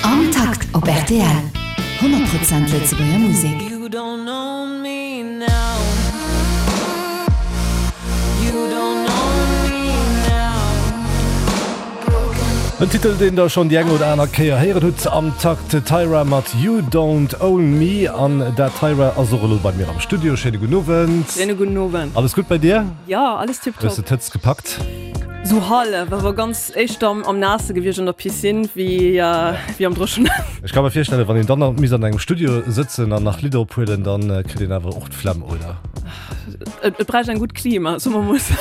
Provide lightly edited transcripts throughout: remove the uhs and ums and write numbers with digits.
Am Takt op rtl, 100 Prozent Lëtzebuerger Musek. En Titel deen der schonn déi eng oder aner Kéier héieren hutt am Takt, Tyra mat You Don't Own Me. An dat Tyra ass och elo bei mir am Studio. Schéine gudden Owend. Schéine gudden Owend. Alles gutt bei dir? Jo, alles tiptop. Hues de d'Hëtzt gepackt? Sou hallef, awer ganz éischter am Naasse gewiescht an der Piscine wéi am Dréchenen. Ech ka mer virstellen, wann een dann nach misst an engem Studio sëtzen an nach Lidder ophuelen, dann kritt een awer och d'Flemm, oder? Et bräicht eng gutt Klima, soe mer mol sou.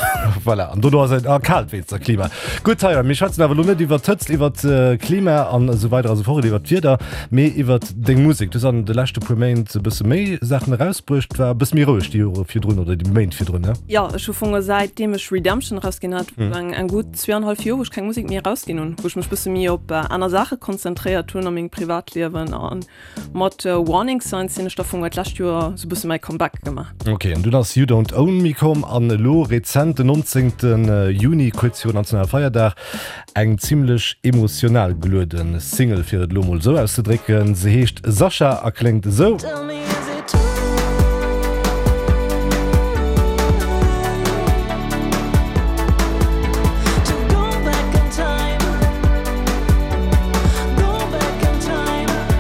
Voilà, an dono ass et ah, kalt wéinst der Klima. Gutt, Tyra, mir schwätzen awer elo net iwwer d'Hëtzt, iwwer d'Klima an esou weider a sou fort, iwwer d'Wieder, mee iwwer deng Musek. Du hues an de leschte puer Méint e bësse méi Saachen erausbruecht, war e bësse méi roueg déi Jore virdrun oder déi Méint virdrun, ne? Jo, ech hu fonge säitdeem ech Redemption erausginn hat, eng eng gutt zweeanhallef Joer, wou ech keng Musek méi erausginn hunn, wou ech mech bësse méi op aner Saache konzentréiert hunn a mengem Privatliewen. A mat Warning Signs sinn ech da fonge d'lescht Joer sou bësse mäi Comeback gemaach. Ok, an dunn ass You Don't Own Me komm an elo rezent, den 19. Juni, kuerz viru Nationalfeierdag, eng zimmlech emotional geluede Single, fir et elo mol esou auszedrécken. Se heescht Sascha a kléngt esou.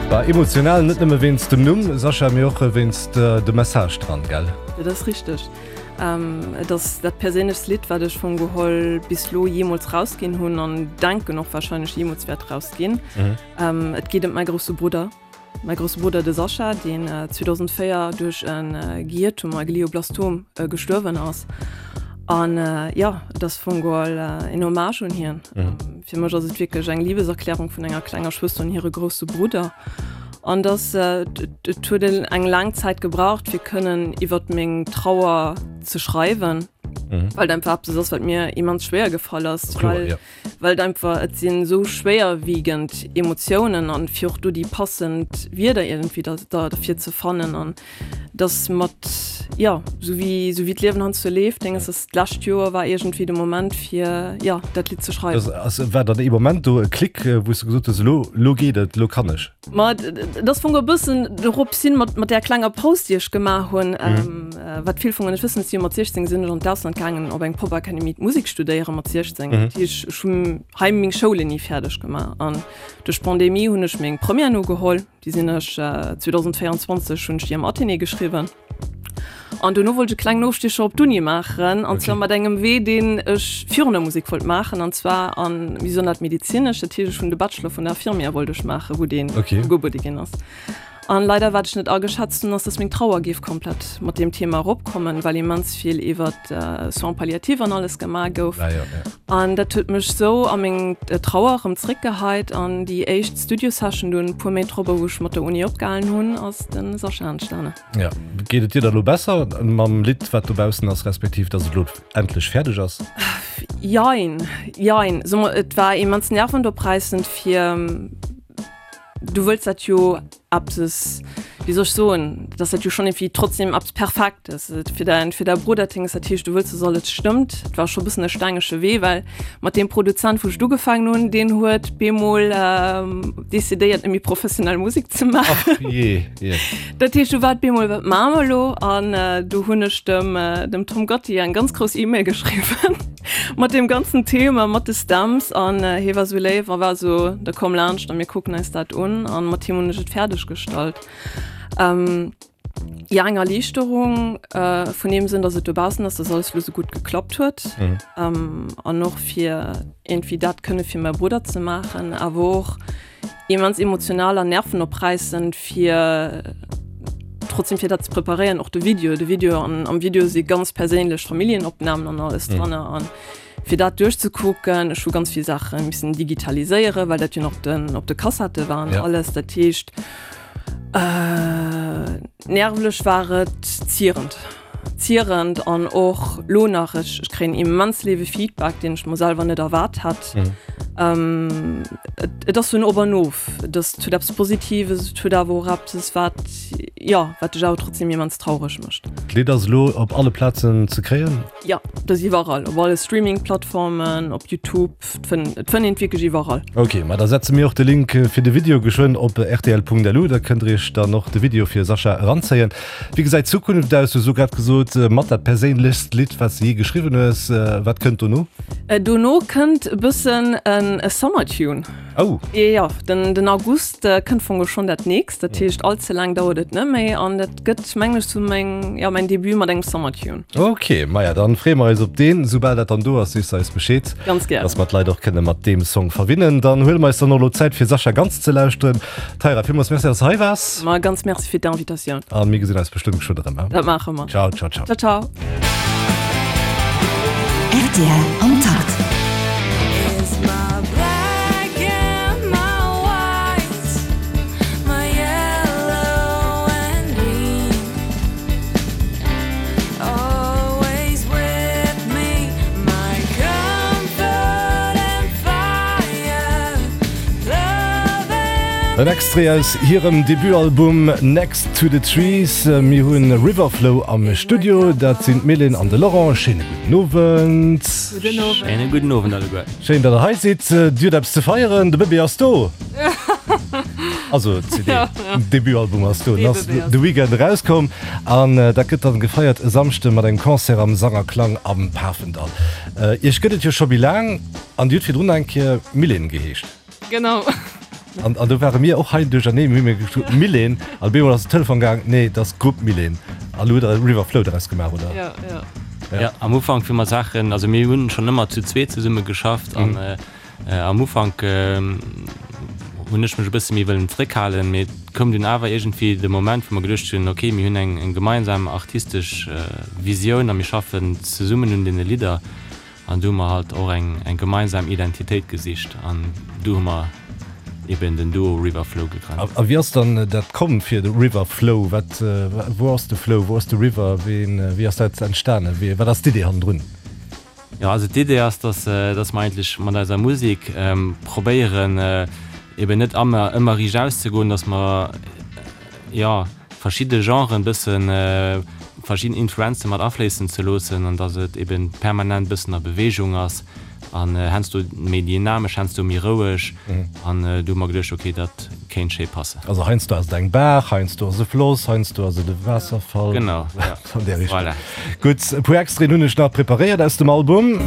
War emotional, net nëmme wéinst dem Numm Sascha, mee och wéinst dem Message dran, gell? Dat ass richteg. Et ass dat perséinlechst Lidd, wat ech vum Geholl bis lo jeemools rausginn hunn an denken och warscheinlech jeemools wäert rausginn. Et geet ëm mäi grousse Brudder, mäi grousse Brudder de Sascha, deen 2004 duerch e Gehirtumor, e Glioblastom, gestuerwen ass. An jo, et ass vum Geholl en Hommage un hien. Fir mech ass et wierklech eng Liebeserklärung vun enger klenger Schwëster un hire grousse Brudder. An dass et huet eng laang Zäit gebraucht, fir kënnen iwwert meng Trauer ze schreiwen, mhm. well et einfach eppes ass, wat mir immens schwéier gefall ass, Kloer, well, ja. well et einfach et sinn esou schwéierwiegend Emotiounen an fir och do déi passend Wierder irgendwie da, da, derfir ze fannen an dass mat ja sou wéi sou wéi d'Liewen heiansdo leeft, denges dass d'lescht Joer war iergendwéi de Moment fir ja dat Lidd ze schreiwen. Das ass, war dann ee Moment do e Klick, wou s du gesot hues, elo elo geet et, elo kann ech? Ma et ass fong e bëssen dorops hin mat mat där klenger Paus déi ech gemaach hunn, wat vill vun net wëssen, ech si jo mat 16 sinn ech an d'Ausland gaangen op eng Popakademie d'Musek studéiere mat 16, dat heesch ech hunn hei meng Schoulen ni fäerdeg gemaach an duerch d'Pandemie hunn ech meng Première nogeholl. Déi sinn ech 2024 hunn ech déi am Athénée geschriwwen. An dono wollt ech e klengen Ofstiecher op d'Uni maachen, an zwar mat engem Wee, deen ech virun der Musek wollt maachen, an zwar an, wéi soen dat, medezinesch. Dat heescht, ech hunn de Bachelor vun der Infirmière wollt ech maachen, wou deen ugebuede ginn ass. An leider, wat ech net ageschätzt hunn, ass, dass meng Trauer géif komplett mat deem Thema eropkommen, well immens vill iwwert Soins palliatifs an alles gemaach gouf. An dat huet mech sou a meng Trauer erëm zréckgeheit. An déi éischt Studio-Session dunn, e puer Méint drop, wou ech mat der Uni opgehalen hunn, ass de Sascha entstanen. Jo. Geet et dir da lo besser mam Lidd, wat dobaussen ass, respektiv dass et lo endlech fäerdeg ass? Jein, jein. Soe mer, et war immens nervendopräissend fir, du wëlls dat jo eppes, wéi soll ech soen, dass dat jo schonn iergendwéi trotzdem eppes Perfektes fir däin, fir däi Brudder Dings, dat heescht, du wëlls, dass alles stëmmt. Et war scho e bëssen e stengege Wee, well mat deem Produzent, wou ech et ugefaangen hunn, deen huet bemol decidéiert, net méi professionell Musek ze maachen. Ach jee, jee. Dat heescht, du war et bemol, wat maache mer elo? An du hunn ech dem, dem Tom Gatti eng ganz grouss E-Mail geschriwwen. Mat deem ganzen Thema, mat de Stems an hie war sou léif a war sou, da komm laanscht a mir kucken eis dat un an mat him hunn ech et fäerdeg gestallt. Jo, eng Erliichterung vun deem Sënn, datt et dobaussen ass, datt alles elo sou gutt geklappt huet an och fir iergendwéi dat kënne fir mäi Brudder ze maachen, awer och immens emotional an nervenopräissend fir trotzdem fir dat ze preparéieren, och de Video, de Video an am Video si ganz perséinlech Familljenopnamen an alles mhm. dranne an fir dat duerchzekucken, ech hu ganz vill Sache missen digitaliséieren, well dat jo nach den op de Kassette waren ja. alles dat heescht äh, nervlech war et zierend. Zierend an och lo nach, ech ech kréien immens léiwe Feedback, deen ech mer selwer net erwaart hat. Mhm. Et, et ass sou en Op an Of. Et ass, et huet eppes Positives, et huet awer och eppes, wat, jo, wat dech awer trotzdem immens traureg mécht. D'Lidd ass elo op alle Plazen ze kréien? Jo, et ass iwwerall, op alle Streaming-Plattformen, op Youtube, et fënnt et fënnt een et wierklech iwwerall. Ok, ma da setze mir och de Link fir de Video geschwënn op rtl.lu, da kënnt der iech dann och de Video fir Sasha eranzéien. Wéi gesäit d'Zukunft aus? Du hues elo grad gesot, mat dat perséinlechst Lidd, wat s de jee geschriwwen hues. Wat kënnt dono? Dono kënnt e bëssen e Summer Tune. Oh! Jo, den den August kënnt fong och schonn dat nächst, dat heescht all ze laang dauert et net méi an dat gëtt mengen ech sou meng, jo, mäin Debut mat engem Summer Tune. Ok, maja dann freeë mer eis op deen. Soubal dat dann do ass, sees de eis Bescheed. Ganz gär. Dass mer d'Leit och kënne mat deem Song verwinnen. Dann huele mer eis dann och elo Zäit fir Sascha ganz ze lauschteren. Taira, villmools Merci, dass de hei waars. Ma ganz Merci fir d'Invitatioun. A mir gesinn eis bestëmmt geschwënn erëm, he? Dat maache mer. Ciao, ciao, ciao. Ciao, ciao. Rtl am Takt. En Extrait aus hirem Debutalbum Next to the Trees. Mir hunn Riverflow am Studio, dat sinn d'Mylène an de Laurent. Schéine gudden Owend. Gudden Owend. Schéine gudden Owend alleguer. Schéin, datt der hei sidd. Dir hutt eppes ze feieren, de Bëbee ass do. Also d'CD, den Debutalbum ass do. Den ass de Weekend erauskomm an dat gëtt dann gefeiert e Samschde mat engem Concert am Sang a Klang am Pafendall. Iech gëtt et jo scho méi laang an Dir hutt virdrun nach eng Kéier Mylène geheescht. Genau. An, an do ware mir och hei duercherneen, mir hu mir gesot Mylène an op eemol ass den Telefon gaang, nee, dat ass d'Grupp Mylène. An elo hutt Der River Flow doraus gemaach, oder? Ja, ja. Ja, am Ufank wéi mer Saachen, also mir hunn schonn ëmmer zu zweet zesumme geschafft an am Ufank hunn ech mech e bësse méi wëllen zréckhalen, mee et koum dunn awer iergendwéi de Moment, wou mer geduecht hunn, okay, mir hunn eng gemeinsam artistesch Visioun a mir schaffen zesummen un deene Lidder. An du hu mer halt och eng eng gemeinsam Identitéit gesicht an du hu mer eben den Duo River Flow gegrënnt. A wéi ass dann dat komm fir de River Flow? Wat, wou ass de Flow, wou ass de River, ween, wéi ass dat entstanen, wéi, wat ass d'Idee hannendrun? Jo, also d'Idee ass, dass, dass mer eigentlech mat eiser Musek probéieren eben net ëmmer, ëmmer riicht auszegoen, dass mer, jo, verschidde Genren bëssen, verschidden Influenze mat afléissen ze loossen an dass et eben permanent bëssen a Beweegung ass an heiansdo méi dynamesch, heiansdo méi roueg an du hu mer geduecht, ok, dat kéint schéi passen. Also heiansdo ass et eng Baach, heiansdo ass e Floss, heiansdo ass et e Waasserfall. Genau, ja. An där Richtung. Voilà. Gutt, e puer Extraiten hunn ech nach preparéiert aus dem Album.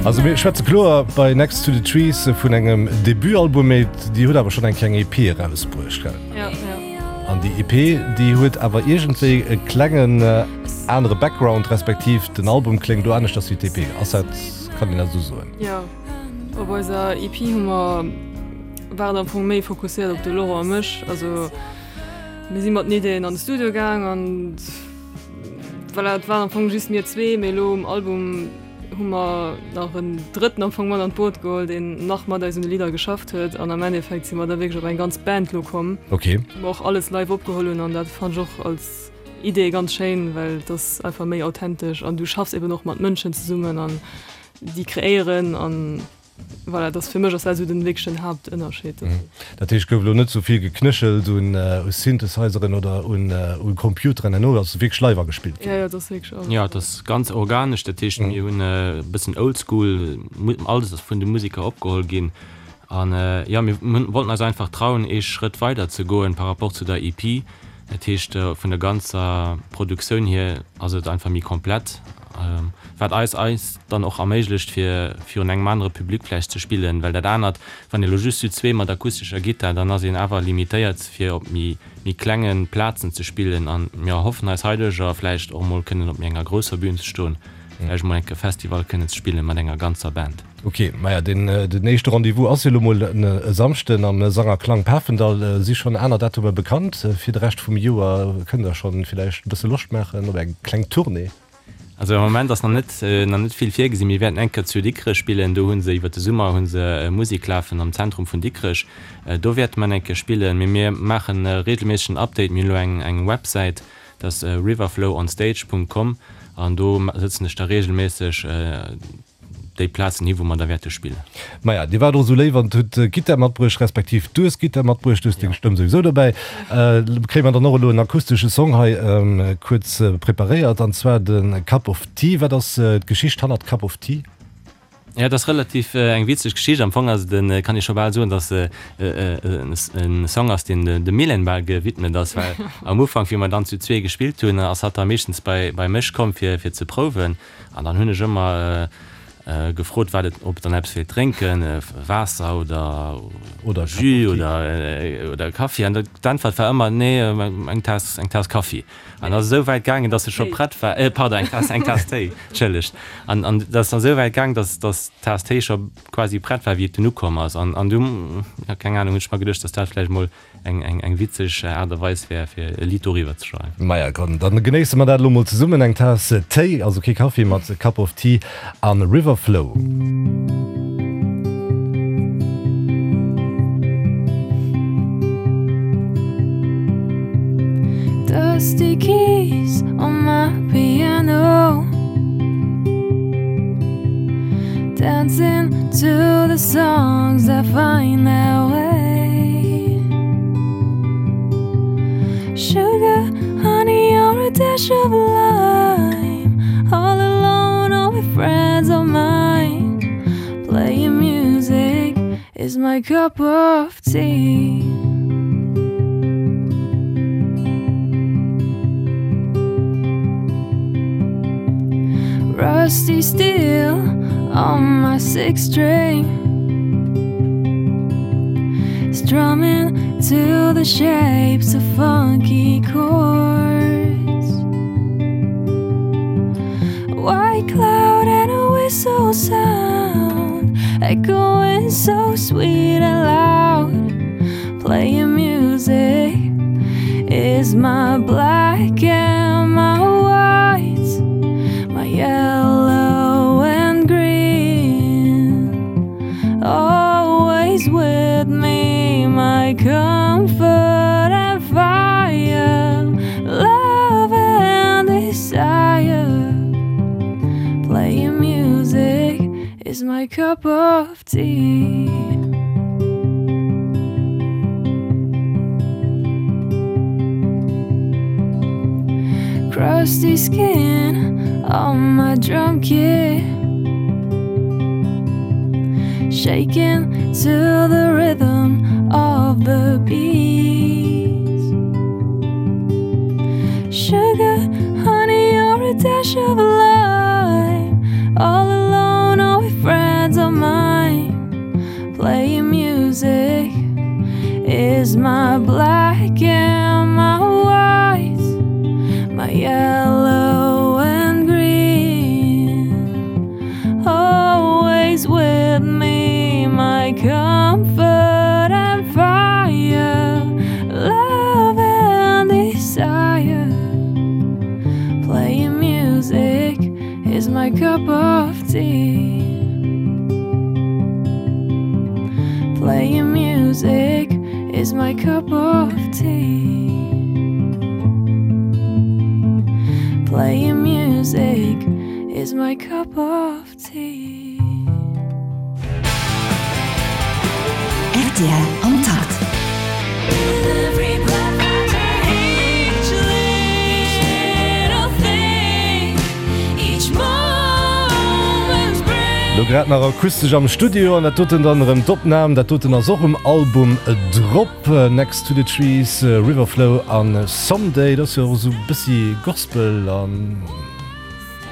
Also mir schwätze kloer bei Next to the Trees vun engem Debutalbum, mee Dir hutt awer schonn eng kleng EP erausbruecht, gell? Ja, ja. An déi EP, déi huet awer iergendwéi e klengen anere Background, respektiv den Album kléngt do aneschters wéi d'EP. Ass dat, kann een dat esou soen? Jo. Op eiser EP hu mer, war et am Fong méi fokusséiert op de Laurent a mech. Also mir si mat den Ideeën an de Studio gaang an voilà, et waren am Fong just mir zwee, mee elo um Album hu mer nach en Drëtten am Fong mat an d'Boot geholl, deen nach mat eis un de Lidder geschafft huet an am Endeffekt si mer da wierklech op eng ganz Band lo komm, Okay. wou mer och alles live opgeholl hunn an dat fannt ech och als Idee ganz schéin, well et ass einfach méi authentesch an du schaffs eben och mat Mënschen zesummen an déi kreéieren an voilà, dat fir mech ass dat esou den wierklechen Haaptënnerscheed. Dat heescht, gouf elo net sou vill geknéchelt un Synthesizeren oder un Computeren herno, ass wierklech live agespillt ginn? Jo, jo, dat ass wierklech alles. Jo, et ass ganz organesch, dat heescht mir hunn e bëssen oldschool, alles ass vun de Museker opgeholl ginn an jo, mir wollten eis einfach trauen ee Schrëtt weider ze goen par rapport zu der EP. Dat heescht vun der ganzer Produktioun hier ass et einfach méi komplett. Wat eis eis dann och erméiglecht fir virun engem anere Public vläicht ze spillen, well dat anert, wann ee lo just zu zwee mat akustescher Gittar, dann ass een awer limitéiert fir op méi méi klenge Plazen ze spillen an mir erhoffen eis heiduercher vläicht och emol kënnen op méi enger grousser Bühn ze stoen, vläicht emol enke Festival kënnen ze spillen mat enger ganzer Band. Ok, maja den den éischte Rendez-vous ass jo lo mol e Samschden am Sang a Klang Pafendall. Si schonn aner Datumer bekannt fir de Rescht vum Joer? Kënnt der schonn villäicht e bësse Loscht maachen op eng kleng Tournée? Also am Moment ass nach net nach net vill virgesinn. Mir wäerten eng Kéier zu Dikrech spillen. Do hu se iwwer de Summer hu se Musek lafen am Zentrum vun Dikrech. Do wäerte mer eng Kéier spillen. Mee mir maachen e reegelméissegen Update. Mir hunn elo eng eng Websäit, dat ass riverflowonstage.com an do sëtzen ech da reegelméisseg. déi Plazen hi wou mer da wäerte spillen. Maja, Dir waart och esou léif an hutt d'Gittar matbruecht, respektiv du hues d'Gittar matbruecht, du hues deng Stëmm souwisou dobäi. Kréie mer dann och elo en akustesche Song hei kuerz preparéiert, an zwar de Cup of Tea. Wat ass d'Geschicht hannert Cup of Tea? Jo, et ass relativ eng witzeg Geschicht. Am Fong ass et en, kann ee scho bal soen, datt e e Song ass, deen dem Mylène bal gewidmet ass, well am Ufank, wéi mer dann zu zwee gespillt hunn, ass hatt da meeschtens bei bei mech komm fir fir ze prouwen. An dann hunn ech ëmmer gefrot, wat et, ob et dann eppes wéilt drénken, Waasser oder oder Jus oder oder Kaffi. An d'Äntwert war ëmmer, nee, eng Taass, eng Taass Kaffi. An ass esou wäit gaangen, dass se scho prett war, äh, pardon, eng Taass, eng Taass Téi, entschëllegt. An, an dat ass dann esou wäit gaangen, dass, dass d'Taass Téi scho quasi prett war, wéi et dunn ukomm ass. An, an du, ja, keng Ahnung, hunn ech mer geduecht, dass dat vläicht mol eng, eng, eng witzeg Aart a Weis wär, fir e Lidd doriwwer ze schreiwen. Maja, komm, dann genéisse mer dat elo mol zesummen, eng Taass Téi, also kee Kaffi, mat Cup of Tea an River Flow. Dusty keys on my piano Dancing to the songs that find their way Sugar, honey or a dash of lime All alone or with friends of mine Playing music is my cup of tea Rusty steel on my six string Strumming to the shapes of funky chords White cloud and a whistle sound Echoing so sweet and loud Playing music is my black and my white My yellow and green Always with me my comfort and fire Love and desire Playing music is my cup of tea Crusty skin on my drum kit Shaking to the rhythm of the beat Sugar, honey or a dash of lime All alone or with friends of mine Playing music is my black and my white My yellow and green Always with me my comfort and fire Love and desire Playing music is my cup of tea Playing music is my cup of tea Playing music is my cup of tea. Rtl am Takt. Lo grad nach akustesch am Studio an dat doten dann erëm d'Opnam. Dat doten ass och um Album drop, Next to the Trees, River Flow an Someday. Dat ass jo och esou e bëssi Gospel an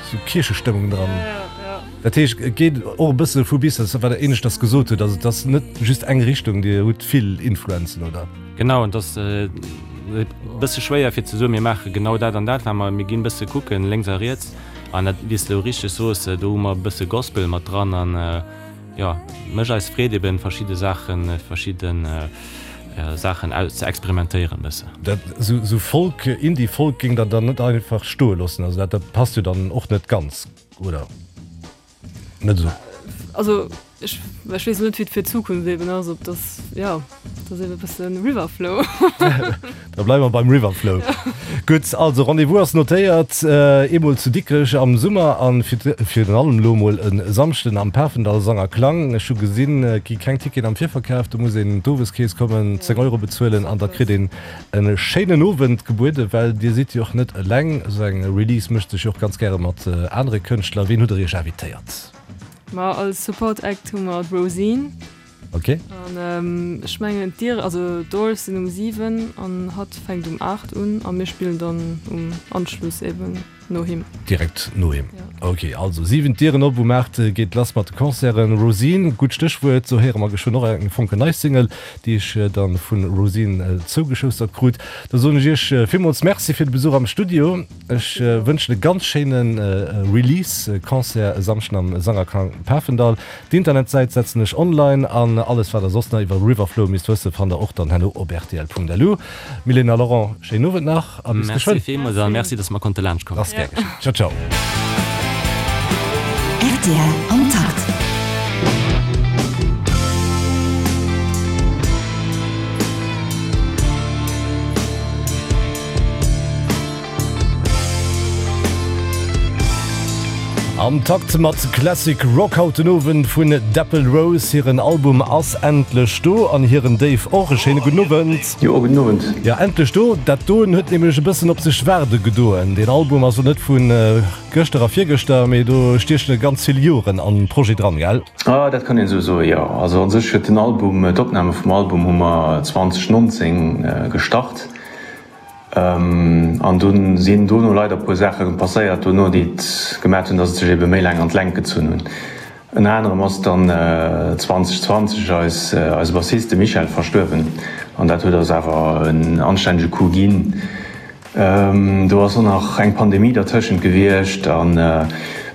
esou Kierchestëmmung dran. Dat heescht, et geet och e bësse vu bis, dat wat Der éineschters gesot hutt, also et ass net just eng Richtung, Dir hutt vill Influenzen, oder? Genau, et ass e bësse schwéier fir ze soen, mir maache genau dat an dat, well mer, mir ginn e bësse kucken lénks a riets an dat, wéi s de elo richteg soos, do hu mer e bësse Gospel mat dran an jo, mécht eis Freed eben verschidde Saachen, verschidde Saachen aus ze experimentéieren e bësse. Dat esou Folk, Indie-Folk géing Der dann net einfach stoe loossen, also dat, dat passt jo dann och net ganz. Oder net esou? Also ech, ech weess net wéi et fir d'Zukunft eben ass, ob dass, jo. dat ass ebe bësse Riverflow. Da bleiwe mer beim Riverflow. Gutt, also Rendez-vous ass notéiert, eemol zu Dikrech am Summer an virun allem elo emol e Samschden am Pafendall Sang a Klang. Ech hu gesinn, et gi keng Ticketen am Virverkaf, do muss een d'Oweskeess kommen, 10 Euro bezuelen an da kritt een e schéinen Owend gebueden, well dir sidd jo och net eleng. Esou eng Release mécht sech jo och ganz gäre mat anere Kënschtler. Ween hutt der iech invitéiert? Ma als Support Act hu mer d'Rosine. Ok. An ech mengen d'Dier, also d'Doors sinn um 7 an hatt fänkt um 8 un a mir spillen dann um Anschluss eben no him. Direkt no him. Ja. Ok, also 7 d'Dieren op, um 8 geet lass mat de Concerten. Rosine, gutt Stéchwuert, do héiere mer geschwënn och eng fonkelnei Single, déi ech dann vu Rosine zougeschoustert krut. Da soen ech iech villmools Merci fir de Besuch am Studio. Ech wënschen e ganz schéine Release-Concert e Samschden am Sangerklang Pafendall. D'Internetsäit setzen ech online an alles wat der soss nach iwwer Riverflow misst wëssen fannt der och dann herno op rtl.lu. Mylène a Laurent, schéinen Owend nach a bis geschwënn. Merci villmools a merci dass mer konnte laanscht kommen. Ass gär geschéngt. Ciao ciao. Rtl am Takt. Am Takt mat Classic Rock haut den Owend vun Dapple Rose. Hiren Album ass endlech do an hiren Dave och. E schéine gudden Owend. Jo, gudden Owend. Jo, endlech do. Dat doen huet nämlech e bëssen op sech waarde gedoen. Deen Album ass jo net vu gëschter a virgëschter, mee do stiechen ganz vill Joren am Projet dran, gell? Ah, dat kann een esou soen, jo. Also an sech huet den Album, d'Opname vum Album hu mer 2019 gestart. An dunn sinn dono leider e puer Saache passéiert dono, déi et gemat hunn, datt et sech ebe méi laang an d'Längt gezunn hunn. Ënner anerem ass dann 2020 eis eise Bassist, de Michel, verstuerwen an dat huet eis awer en anstännege Coup ginn. Do ass och nach eng Pandemie dertëschent gewiescht an,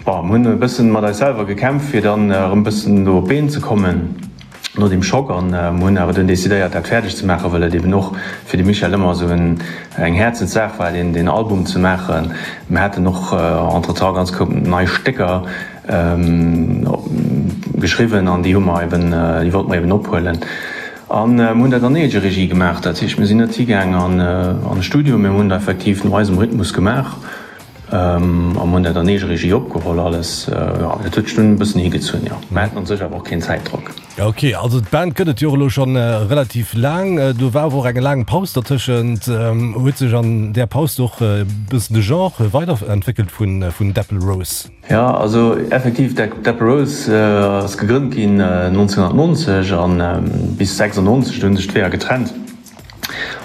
bon, mir hunn e bëssen mat eis selwer gekämpft, fir dann erëm e bëssen do op d'Been ze kommen. no deem Schock an mer hunn awer dunn decidéiert dat fäerdeg ze maachen, well et eben och fir de Michel ëmmer esou eng Häerzenssaach war deen deen Album ze maachen. Mer haten och entretemps ganz koup nei Stécker geschriwwen an déi hu mer eben, déi wollte mer eben ophuelen an mer hunn dat an Eegeregie gemaach. Dat heescht mir sinn net higaang an e Studio, mee mer hunn dat effektiv no eisem Rhythmus gemaach. A mer hunn dat an Eegeregie opgeholl alles. Jo, dat huet sech dunn e bëssen higezunn, jo. Mer haten an sech awer och keen Zäitdrock. Ok, also d'Band gëtt et jo och elo scho relativ laang. Do war awer och eng laang Paus dertëschent. Huet sech an där Paus och e bëssen de Genre weiderentwéckelt vun Dapple Rose? Jo, also effektiv, Dapple Rose ass gegrënnt ginn 1990 a bis 96, do hu sech d'Weeër getrennt.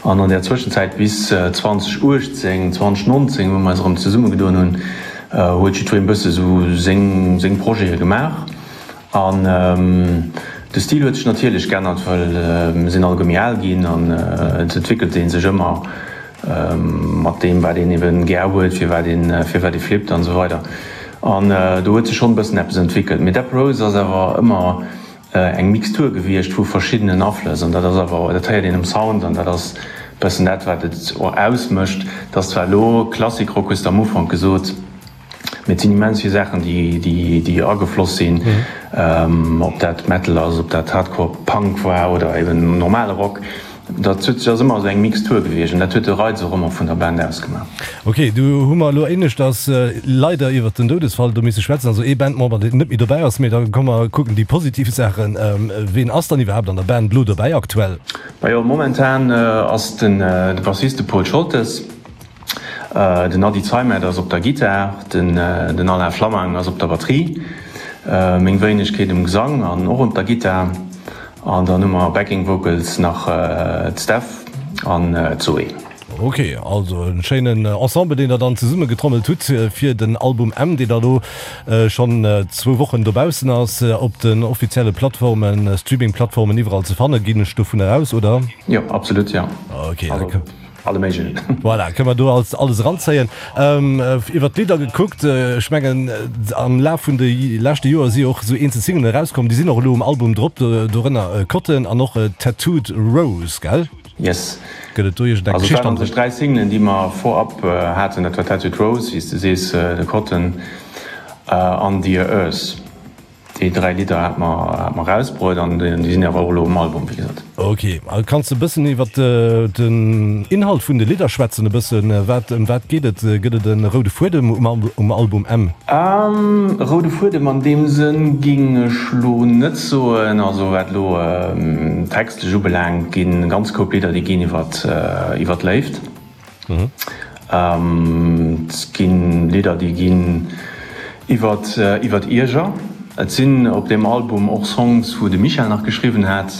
An an där Zwëschenzäit bis 2018, 2019, wou mer eis erëm zesummegedoen hunn, huet jiddwereen e bësse sou seng, seng Projete gemaach. An de Stil huet sech natierlech geännert, well mir sinn alleguer méi al ginn an et entwéckelt ee sech ëmmer mat deem, wat een ebe gär huet, firwat een, firwat ee flippt an esou weider. An do huet sech schonn e bëssen eppes entwéckelt. Mee Dapper Rose ass awer ëmmer eng Mixtur gewiescht vu verschiddenen Aflëss an dat ass awer, dat héiert een um Sound an dat ass bëssen dat wat et och ausmécht. Et ass zwar elo Klassik Rock hues de am Ufank gesot, mee et sinn immens vill Saachen déi déi déi agefloss sinn, ob dat Metal ass, ob dat Hardcore Punk war oder eben normale Rock. Dat huet sech ass ëmmer esou eng Mixtur gewiescht an dat huet de Reiz och ëmmer vun der Band ausgemaach. Ok, du hu mer elo éineschters leider iwwert den Doudesfall do misse schwätzen, also ee Bandmember deen net méi dobäi ass, mee da komme mer kucken déi positiv Saachen. Ween ass dann iwwerhaapt an der Band elo dobäi aktuell? Majo, momentan ass den de Bassist de Paul Scholtes, den Ady Zeimet ass op der Gittar, den den Alain Flammang ass op der Batterie, meng Wéinegkeet um Gesang an och op der Gittar. An dann hu mer Backing Vocals nach d'Steph an d'Zoé. Ok, also en schéinen Ensemble deen der dann zesumme getrommelt hutt fir den Album M, deen da lo schonn zwou Wochen dobaussen ass, op den offizielle Plattformen, Streaming Plattformen iwwerall ze fanne ginn ech dovunner aus, oder? Jo, absolut, jo. Ok, da. Alle méiglechen. Voilà, kënne mer do als alles eranzéien. Iwwer d'Lidder gekuckt, ech mengen am Laf vun de leschte Joer si och esou eenzel Singlen erauskomm, déi sinn och elo um Album drop, dorënner Cotton an och Tattooed Rose, gell? Yes. Gëtt et do iergend eng Also et waren an sech 3 Singlen, déi mer vorab haten, dat war Tattooed Rose, wéi s de sees, de Cotton an Dear Earth. Déi 3 Lidder hat mer hat mer rausbruet an déi sinn awer och elo um Album, wéi gesot. Ok, a kanns de e bëssen iwwer den Inhalt vun de Lidder schwätzen e bëssen? Wat, ëm wat geet et? Gëtt et e roude Fuedem um Album M? E roude Fuedem an deem Sënn ging ech lo net soen. Also wat elo textlech ubelaangt, ginn e ganz Koup Lidder, déi ginn iwwer iwwer d'Léift. Et ginn Lidder, déi ginn iwwer iwwer Ierger. Et sinn op deem Album och Songs, wou de Michel nach geschriwwen hat,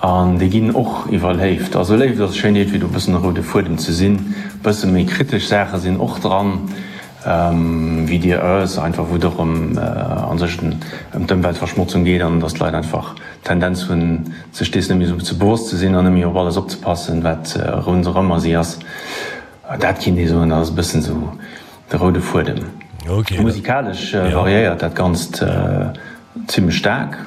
an déi ginn och iwwer Léift. Also Léift ass schéin iergendwéi do e bëssen e roude Fuedem ze sinn. E bësse méi kritesch Saache sinn och dran, wéi Dear Earth einfach, wou et och ëm a sech ëm d'Ëmweltverschmotzung geet an datt d'Leit einfach Tendenz hunn, sech dees net méi esou ze bewosst ze sinn an net méi op alles opzepassen, wat ronderëmmer si ass. Dat kinnt ee soen, dat ass e bëssen esou de roude Fuedem. Musikalesch variéiert dat Ganzt zimmlech staark.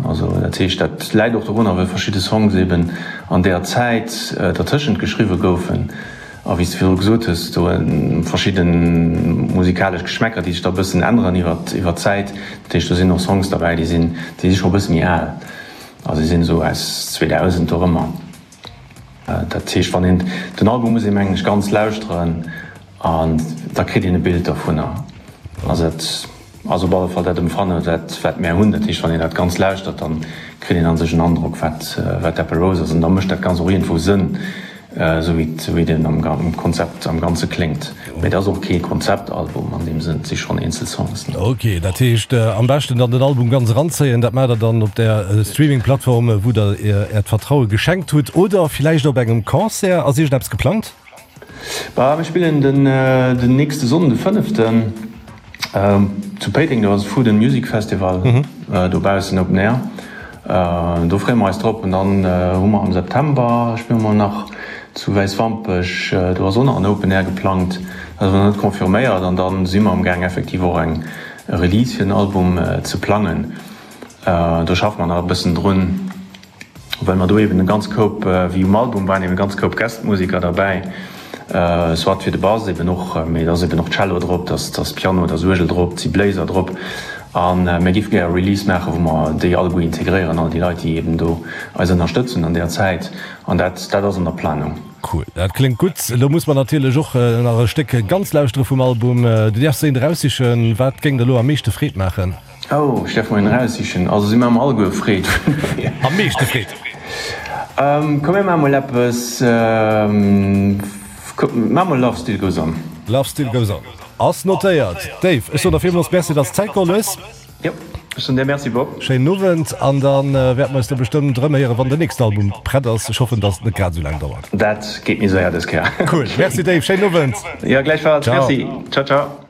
Also dat heescht, dat läit och dorunner, well verschidde Songs eben an där Zäit dertëschent geschriwwe goufen. A wéi s de virdru gesot hues, do verschidde musikalesch Geschmäcker, déi sech da e bëssen änneren iwwer d'Zäit. Dat heescht, do sinn och Songs derbäi, déi sinn, déi si scho e bësse méi al, also déi sinn esou aus 2000 dorëmmer. Dat heescht, wann een den Album muss ee mengen ech ganz lauschteren an da kritt een e Bild dovunner. Also dat ass op alle Fall dat Emfanne wat wat mär hunn. Dat heescht, wann een dat Ganzt lauschtert, dann kritt een a sech en Androck wat wat Apple Rose ass an da mécht dat Ganzt och iergendwou Sënn, esou wéi esou wéi den am Konzept am Ganze kléngt. Mee et ass och kee Konzeptalbum an deem Sënn, et si schonn eenzel Songs. Ok, dat heescht am beschten dann den Album ganz eranzéien. Dat maacht der dann op där Streaming-Plattform wou der äert Vertraue geschenkt hutt oder villäicht op engem Concert. Ass iergendeppes geplangt? Bah, mir spillen den den nächste Sonnden, de fënneften, zu Péiteng. Do ass e Food and Music Festival dobaussen, Open Air. Do freeë mer eis drop. An dann hu mer am September spille mer nach zu Wäiswampech. Do ass och nach en Open Air geplangt, dat ass awer nach net confirméiert. An da si mer amgaang effektiv och eng Release fir den Album ze plangen. Do schaffe mer nach e bëssen drun. Well mer do eben e ganz Koup, wéi um Album waren eben e ganz Koup Guest-Musiker derbäi, soit fir de Bass eben och, mee et ass eben och Cello drop, et ass Piano, et ass Uergel drop, et si Bléiser drop. A mir géife gär e Release maachen, wou mer déi alleguer integréieren, all déi Leit, déi eben do eis ënnerstëtzen an där Zäit. An dat, dat ass an der Planung. Cool, dat kléngt gutt. Elo muss mer natierlech och nach e Stéck ganz lauschtere vum Album. Du däerfs eent eraussichen. Wat géing der elo am meeschte Freed maachen? Oh, ech däerf mer een eraussichen. Also si maache mer alleguer Freed. Am meeschte Freed? Komm mir maache mol eppes, maache mol Love Still Goes On. Love Still Goes On ass notéiert. Dave, ech soen der villmools Merci, dass de Zäit geholl hues. Jo, ech soen dir Merci, Bob. Schéinen Owend an da wäerte mer eis da bestëmmt erëmhéieren, wann den nächsten Album prett ass. Ech hoffen, dass et net grad esou laang dauert. Dat geet méi séier dës Kéier. Cool, Merci Dave, schéinen Owend. Jo, gläichfalls, Merci. Ciao, ciao.